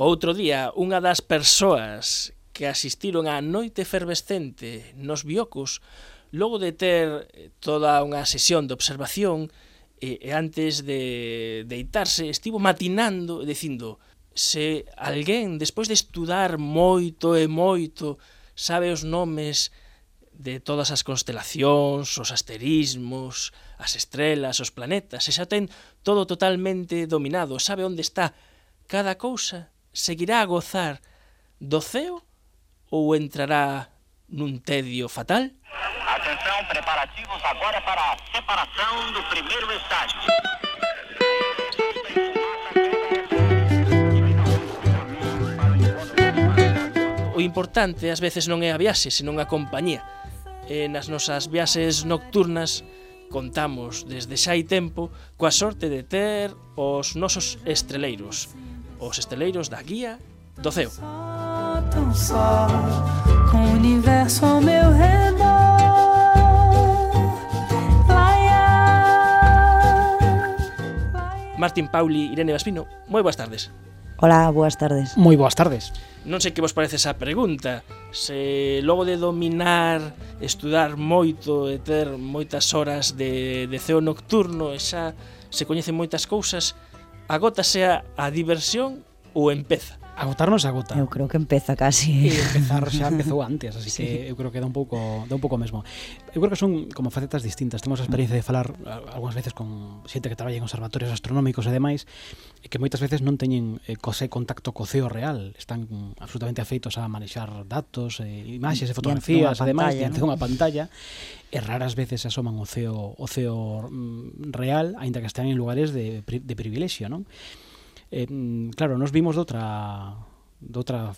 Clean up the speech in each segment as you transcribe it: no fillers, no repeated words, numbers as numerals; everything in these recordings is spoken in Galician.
Outro día, unha das persoas que asistiron á noite efervescente nos biocos, logo de ter toda unha sesión de observación, e antes de deitarse, estivo matinando, dicindo, se alguén, despois de estudar moito e moito, sabe os nomes de todas as constelacións, os asterismos, as estrelas, os planetas, se xa ten todo totalmente dominado, sabe onde está cada cousa, seguirá a gozar do ceo ou entrará nun tedio fatal? Atenção, preparativos agora para a separação do primeiro estágio. O importante ás veces non é a viaxe, senón a compañía. E nas nosas viaxes nocturnas contamos desde xa hai tempo coa sorte de ter os nosos estreleiros, os esteleiros da guía do ceo. Tão só, com o universo ao meu redor. Martín Pauli, Irene Vaspino, moi boas tardes. Hola, boas tardes. Moi boas tardes. Non sei que vos parece esa pregunta. Se logo de dominar, estudar moito e ter moitas horas de ceo nocturno e xa se coñecen moitas cousas, agótase a diversión ou empeza? Agotarnos agota. Eu creo que empeza casi. E empezar xa empezou antes, así sí. Que eu creo que dá un pouco mesmo. Eu creo que son como facetas distintas. Temos a experiencia de falar algunhas veces con xente que traballa en observatorios astronómicos e demais, e que moitas veces non teñen contacto co ceo real, están absolutamente afeitos a manexar datos, imaxes e fotografías e demais diante dunha pantalla, e raras veces asoman o ceo real, aínda que estén en lugares de privilexio, non? Claro, nos vimos de outra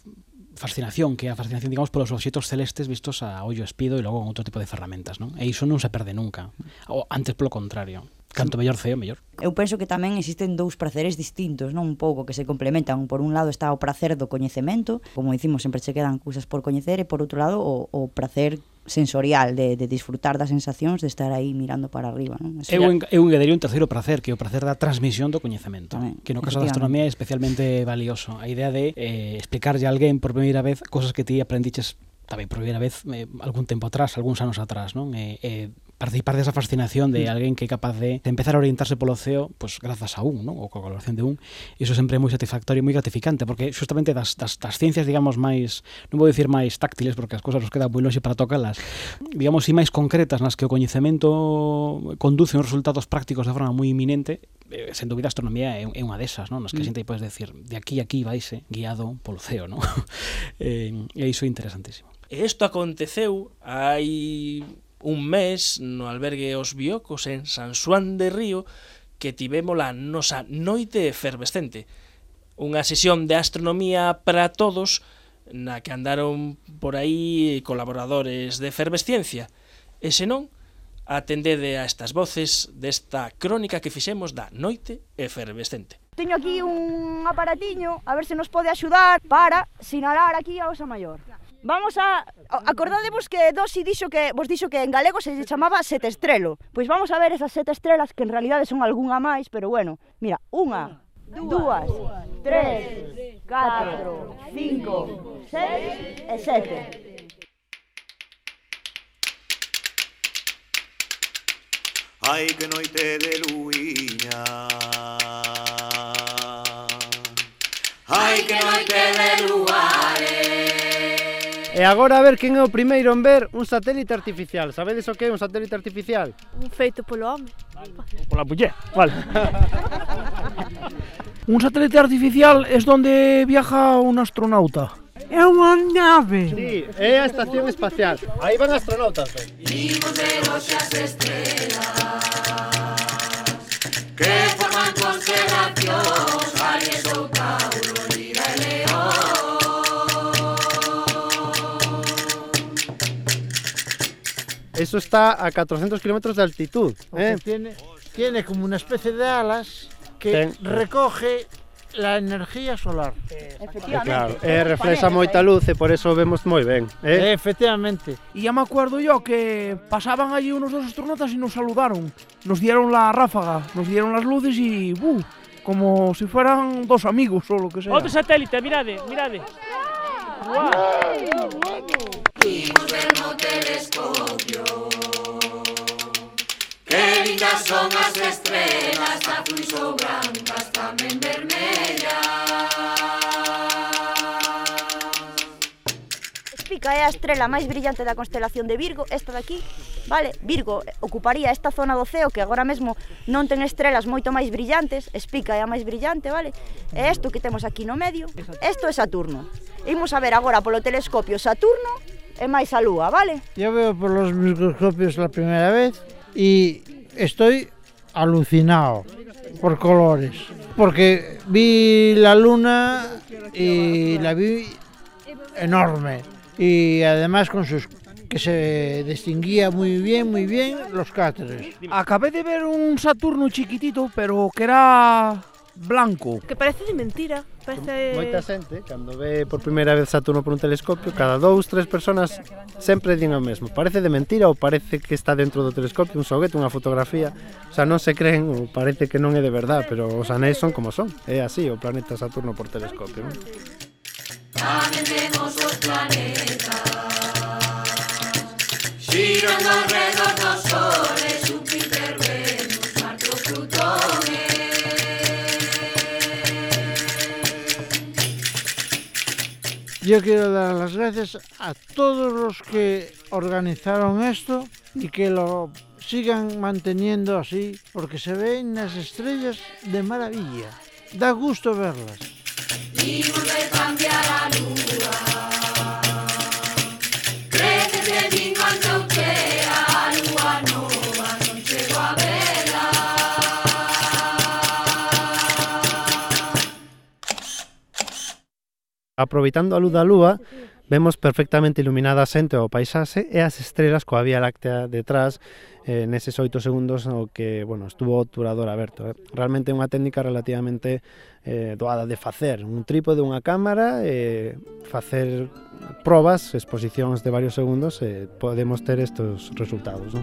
fascinación, que é a fascinación, digamos, polos obxectos celestes vistos a ollo espido e logo con outro tipo de ferramentas, non? E iso non se perde nunca, ou antes polo contrario. Canto mellor ceo, mellor. Eu penso que tamén existen dous praceres distintos, non? Un pouco que se complementan. Por un lado está o pracer do coñecemento, como dicimos, sempre se quedan cousas por coñecer, e por outro lado o pracer sensorial de disfrutar das sensacións de estar aí mirando para arriba, non? Eu engadaría un terceiro pracer, que é o pracer da transmisión do coñecemento, tamén, que no caso da astronomía é especialmente valioso. A idea de explicarlle a alguén por primeira vez cosas que ti aprendiches tamén por primeira vez algún tempo atrás, algúns anos atrás, non? Participar desa fascinación de alguén que é capaz de empezar a orientarse polo ceo, pues grazas a un, non? Ou coa colaboración de un, e iso sempre é moi satisfactorio e moi gratificante, porque justamente das ciencias, digamos, máis, non vou dicir máis táctiles, porque as cousas nos quedan moi longe para tocalas, digamos, e máis concretas, nas que o coñecemento conduce uns resultados prácticos de forma moi inminente, sen dúbida a astronomía é unha desas, non? Nas que a xente podes decir, de aquí a aquí vaise guiado polo ceo, non? E iso é interesantísimo. E isto aconteceu hai un mes no albergue Os Biocos en San Xoán de Río, que tivemos a nosa noite efervescente, unha sesión de astronomía para todos na que andaron por aí colaboradores de efervesciencia, e senón atendede a estas voces desta crónica que fixemos da noite efervescente. Teño aquí un aparatiño, a ver se nos pode axudar para sinalar aquí a Osa Maior. Vamos a... Acordadevos que Dosi vos dixo que en galego se chamaba sete estrelo. Pois vamos a ver esas sete estrelas, que en realidade son algunha máis, pero bueno, mira, unha, dúas, tres, 4, 5, 6 e 7. Ai, que noite de luiña. Ai, que noite de luares. E agora a ver quen é o primeiro en ver un satélite artificial. Sabedes o que é un satélite artificial? Un feito polo home. Pola muller, vale. Un satélite artificial es donde viaja un astronauta. É unha nave. Sí, é a estación espacial. Aí van astronautas, ben. Vimos de noche as estrelas que forman constelacións, Aries ou Tauro, Lira e León. Eso está a 400 kilómetros de altitud. Tiene como una especie de alas que recoge la energía solar. Efectivamente. Claro, reflexa moita luz e por eso vemos moi ben. Efectivamente. Y ya me acuerdo yo que pasaban allí unos dos astronautas y nos saludaron. Nos dieron la ráfaga, nos dieron las luces y como si fueran dos amigos ou lo que sea. Outro satélite, mirade, mirade. Imos ver no telescopio que lindas son as estrelas, azuis ou brancas, tamén vermellas. Spica é a estrela máis brillante da constelación de Virgo, esta daqui, vale? Virgo ocuparía esta zona do ceo que agora mesmo non ten estrelas moito máis brillantes, Spica é a máis brillante, vale? E isto que temos aquí no medio, isto é Saturno. Imos a ver agora polo telescopio Saturno e máis a Lúa, vale? Yo veo por los microscopios la primera vez y estoy alucinado por colores, porque vi la luna y la vi enorme y además con sus que se distinguía muy bien los cráteres. Acabé de ver un Saturno chiquitito, pero que era blanco. Que parece de mentira. Parece... Moita xente, cando ve por primeira vez Saturno por un telescopio, cada 2-3 personas sempre din o mesmo. Parece de mentira ou parece que está dentro do telescopio, un xoguete, unha fotografía. O sea, non se creen ou parece que non é de verdad, pero os anéis son como son. É así o planeta Saturno por telescopio, non? Tamén temos os planetas xirando alrededor do Sol, Júpiter, Venus, Marte ou Plutón. Yo quiero dar las gracias a todos los que organizaron esto y que lo sigan manteniendo así, porque se ven las estrellas de maravilla. Da gusto verlas. Imos ver cambiar a lúa, crece de min cando chea a lúa nova, non chego a vela. Aproveitando a luz da lúa, vemos perfectamente iluminada a xente o paisaxe e as estrelas coa Vía Láctea detrás neses 8 segundos o que, bueno, estuvo o obturador aberto. Realmente é unha técnica relativamente doada de facer. Un trípode, unha cámara, facer probas, exposicións de varios segundos e podemos ter estes resultados, non?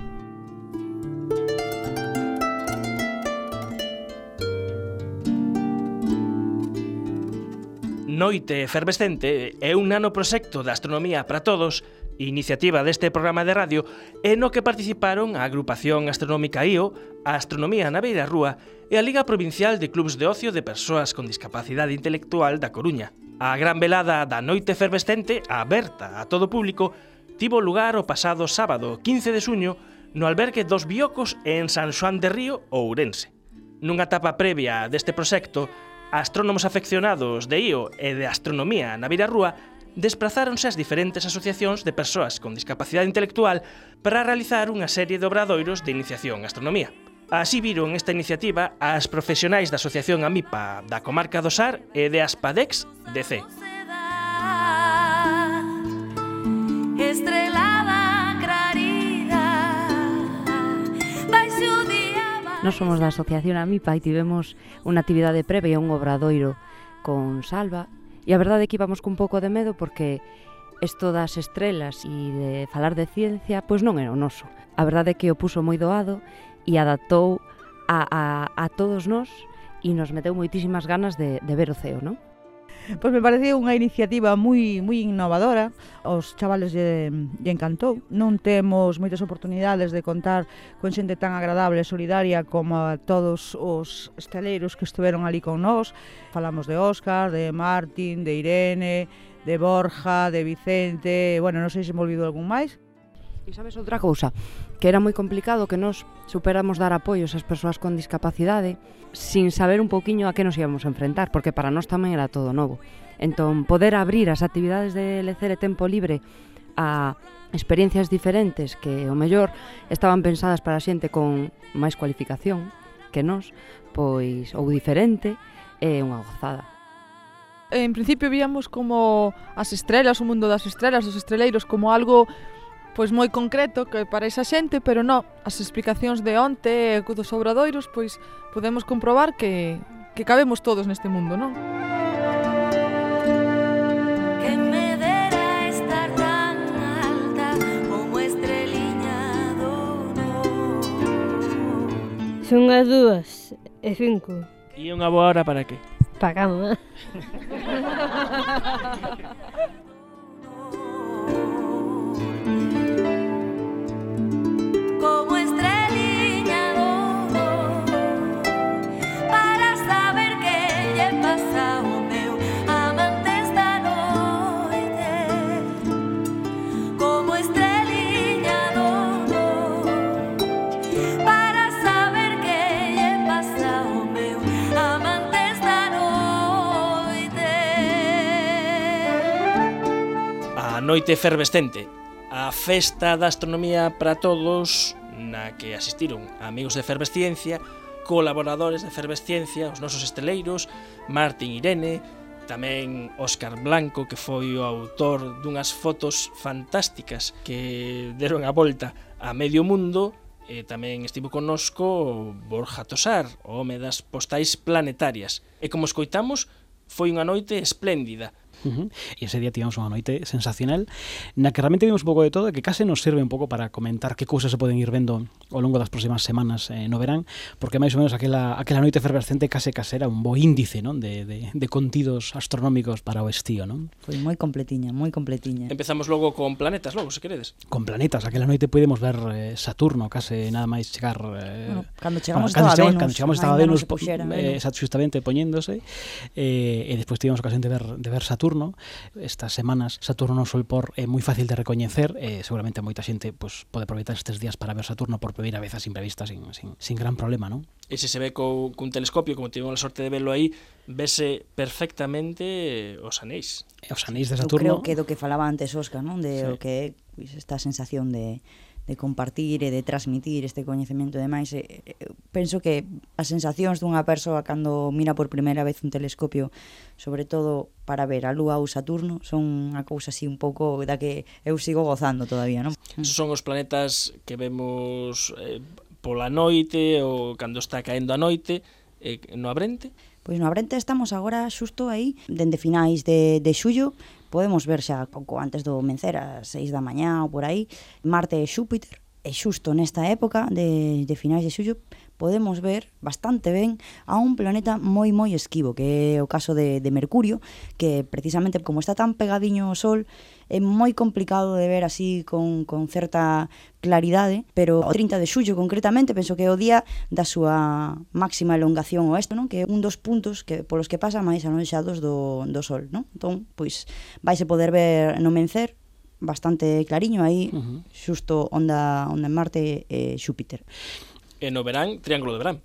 Noite Efervescente é un nanoproxecto de astronomía para todos, iniciativa deste programa de radio, e no que participaron a Agrupación Astronómica IO, a Astronomía na Beira Rúa e a Liga Provincial de Clubs de Ocio de Persoas con Discapacidade Intelectual da Coruña. A gran velada da Noite Efervescente, aberta a todo público, tivo lugar o pasado sábado 15 de xuño no albergue dos Biocos en San Xoán de Río, Ourense. Nunha etapa previa deste proxecto, astrónomos afeccionados de IO e de astronomía na Beira Rúa desprazáronse ás diferentes asociacións de persoas con discapacidade intelectual para realizar unha serie de obradoiros de iniciación en astronomía. Así viron esta iniciativa as profesionais da Asociación AMIPA da Comarca do Sar e de Aspadex DC. Nós somos da Asociación AMIPA e tivemos unha actividade previa, un obradoiro con Salva, e a verdade é que íbamos cun pouco de medo porque isto das estrelas e de falar de ciencia, pois non era o noso. A verdade é que o puso moi doado e adaptou a todos nós e nos meteu moitísimas ganas de ver o ceo, non? Pois me pareceu unha iniciativa moi innovadora, aos chavales lle encantou. Non temos moitas oportunidades de contar con xente tan agradable e solidaria como a todos os estaleiros que estiveron ali con nós. Falamos de Óscar, de Martín, de Irene, de Borja, de Vicente, bueno, non sei se me olvidou algún máis. E sabes outra cousa, que era moi complicado que nos superamos dar apoios ás persoas con discapacidade sin saber un pouquiño a que nos íbamos a enfrentar, porque para nós tamén era todo novo. Entón, poder abrir as actividades de lecer e tempo libre a experiencias diferentes que, o mellor, estaban pensadas para xente con máis cualificación que nós, pois, ou diferente, é unha gozada. En principio víamos como as estrelas, o mundo das estrelas, dos estreleiros, como algo pois moi concreto que para esa xente, pero non, as explicacións de onte e dos obradoiros, pois podemos comprobar que cabemos todos neste mundo, non? Que me dera estar tan alta como estreliña do Son as 2:05. E unha boa hora para que? Pa cama. Como estreliña do para saber que lle pasa ao meu amante esta noite. Como estreliña do para saber que lle pasa ao meu amante esta noite. A noite efervescente, a festa da astronomía para todos, na que asistiron amigos de Efervesciencia, colaboradores de Efervesciencia, os nosos esteleiros, Martín Irene, tamén Óscar Blanco, que foi o autor dunhas fotos fantásticas que deron a volta a medio mundo, e tamén estivo connosco Borja Tosar, o home das postais planetarias. E como escoitamos, foi unha noite espléndida. E ese día tivemos unha noite sensacional na que realmente vimos un pouco de todo e que case nos sirve un pouco para comentar que cousas se poden ir vendo ao longo das próximas semanas no verán, porque máis ou menos aquela noite efervescente case era un bo índice, non, de contidos astronómicos para o estío, non? Foi moi completiña, moi completiña. Empezamos logo con planetas, logo, se queredes. Con planetas, aquela noite podemos ver Saturno, case nada máis chegar... Cando chegamos estaba Venus. Cando chegamos estaba Venus, justamente poñéndose, e despois tivemos ocasión de ver Saturno. Estas semanas Saturno no Sol por é moi fácil de recoñecer, seguramente moita xente pues, pode aproveitar estes días para ver Saturno por primeira vez a simple vista sin gran problema, non? E se ve cun telescopio, como tivemos a sorte de verlo aí, vese perfectamente os anéis. Os anéis de Saturno. Eu creo que do que falaba antes Óscar, non? De o que é esta sensación de compartir e de transmitir este coñecemento e demais. Penso que as sensacións dunha persoa cando mira por primeira vez un telescopio, sobre todo para ver a Lúa ou Saturno, son unha cousa así un pouco da que eu sigo gozando todavía, non? Son os planetas que vemos pola noite ou cando está caendo a noite no Abrente. Pois no Abrente estamos agora xusto aí, dende finais de xullo, podemos ver xa pouco antes do mencer, ás 6 da mañá ou por aí, Marte e Xúpiter, e xusto nesta época de finais de xullo podemos ver bastante ben a un planeta moi esquivo, que é o caso de Mercurio, que precisamente como está tan pegadiño ao Sol, é moi complicado de ver así con certa claridade, pero o 30 de xullo concretamente, penso que é o día da súa máxima elongación oeste, non? Que é un dos puntos que polos que pasa máis anoxados do Sol, non? Entón, pois, vaise poder ver no mencer bastante clariño aí, xusto onda en Marte e Xúpiter. E no verán, Triángulo de Verán.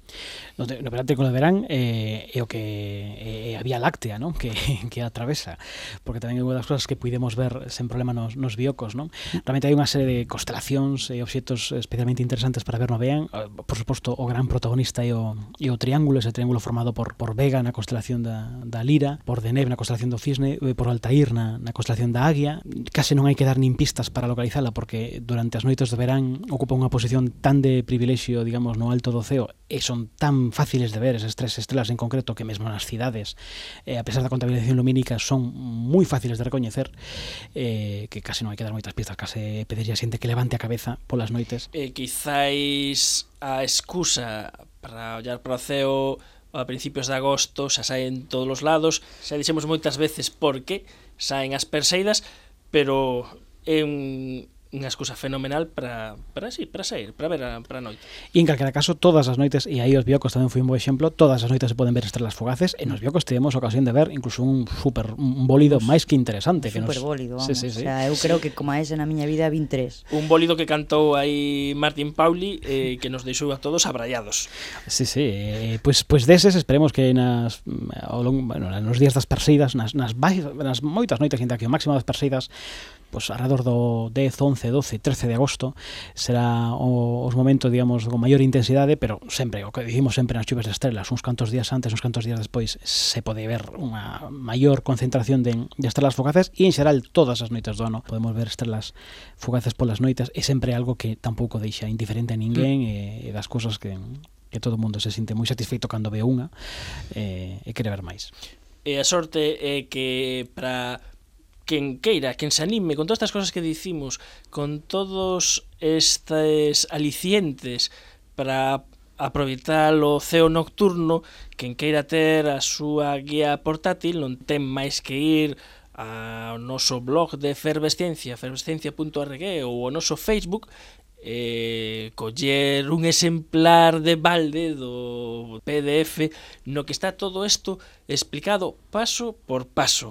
No verán, Triángulo de Verán é o que a Vía Láctea, non? Que atravesa, porque tamén é unha das cosas que puidemos ver sen problema nos biocos, non? Realmente hai unha serie de constelacións e obxectos especialmente interesantes para ver no verán. Por suposto, o gran protagonista é o Triángulo, ese triángulo formado por Vega na constelación da Lira, por Deneb na constelación do Cisne, por Altair na constelación da Águia. Case non hai que dar nin pistas para localizala, porque durante as noites de verán ocupa unha posición tan de privilexio, digamos, no alto do ceo, e son tan fáciles de ver esas tres estrelas en concreto que mesmo nas cidades, a pesar da contaminación lumínica, son moi fáciles de recoñecer, que case non hai que dar moitas pistas, case pediría a xente que levante a cabeza polas noites. Quizáis a excusa para ollar para o ceo a principios de agosto xa saen todos os lados, xa dixemos moitas veces porque saen as Perseidas, pero é unha excusa fenomenal para sair, para ver para a noite. E en calquera caso, todas as noites, e aí os biocos tamén foi un bo exemplo, todas as noites se poden ver estrelas fugaces, e nos biocos tivemos ocasión de ver incluso un bólido máis que interesante. Un superbólido, vamos. Sí. O sea, eu creo que como ese na miña vida 23. Un bólido que cantou aí Martín Pauli, que nos deixou a todos abrallados. Sí, pois deses esperemos que nos días das Perseidas, nas moitas noites, ainda que o máximo das Perseidas, pois alrededor do 10, 11, 12, 13 de agosto será os momentos, digamos, con maior intensidade, pero sempre, o que dicimos sempre nas chuves de estrelas, uns cantos días antes, uns cantos días despois, se pode ver unha maior concentración de estrelas fugaces, e en xeral todas as noites do ano podemos ver estrelas fugaces polas noites, e sempre algo que tampouco deixa indiferente a ninguén, e das cousas que todo o mundo se sinte moi satisfeito cando ve unha e quere ver máis. E a sorte é que para quen queira, quen se anime con todas estas cosas que dicimos, con todos estes alicientes para aproveitar o ceo nocturno. Quen queira ter a súa guía portátil non ten máis que ir ao noso blog de Efervesciencia, efervesciencia.org, ou ao noso Facebook, coller un exemplar de balde do PDF no que está todo isto explicado paso por paso.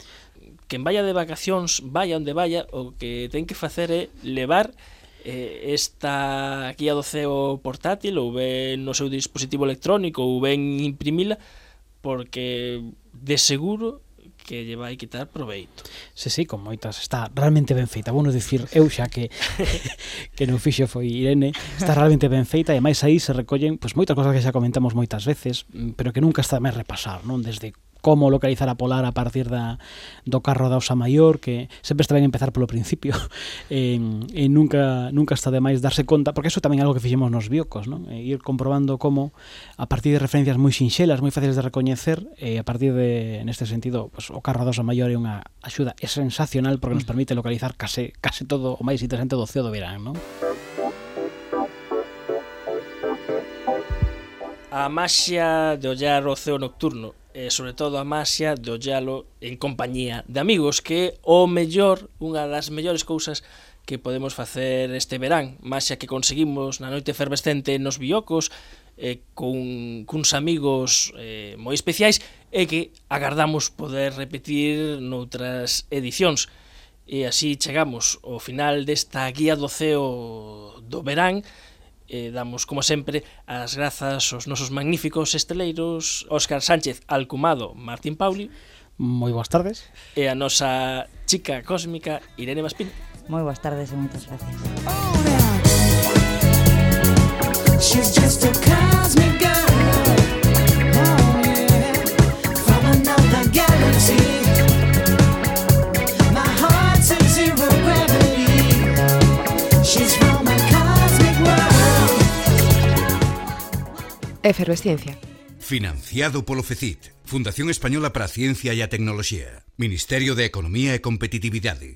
Quen vaya de vacacións, vaya onde vaya, o que ten que facer é levar esta guía do ceo portátil, ou ben no seu dispositivo electrónico, ou ben imprimila, porque de seguro que lle vai quitar proveito. Sí, con moitas, está realmente ben feita. Bueno, dicir, eu xa que non fixo foi Irene, está realmente ben feita, e máis aí se recollen moitas cosas que xa comentamos moitas veces, pero que nunca está máis repasar, non? Desde como localizar a polar a partir do carro da Osa Maior, que sempre está ben empezar polo principio, e nunca está de máis darse conta, porque eso tamén é algo que fixemos nos biocos, non? Ir comprobando como, a partir de referencias moi sinxelas, moi fáciles de recoñecer, a partir de, neste sentido, o carro da Osa Maior é unha axuda sensacional, porque nos permite localizar case todo o máis interesante do ceo do verán, non? A maxia de ollar o ceo nocturno, e sobre todo a maxia de ollalo en compañía de amigos, que é o mellor, unha das mellores cousas que podemos facer este verán. Maxia que conseguimos na noite efervescente nos biocos, cuns amigos moi especiais, e que agardamos poder repetir noutras edicións. E así chegamos ao final desta guía do ceo do verán. Damos, como sempre, as grazas aos nosos magníficos esteleiros Óscar Sánchez Alcumado, Martín Pauli. Moi boas tardes. E a nosa chica cósmica Irene Maspín. Moi boas tardes e moitas gracias. She's just a cosmic girl, oh yeah, from another galaxy. My heart's in zero gravity. She's from a cosmic world. Efervesciencia. Financiado polo FECIT, Fundación Española para a Ciencia e a Tecnoloxía, Ministerio de Economía e Competitividade.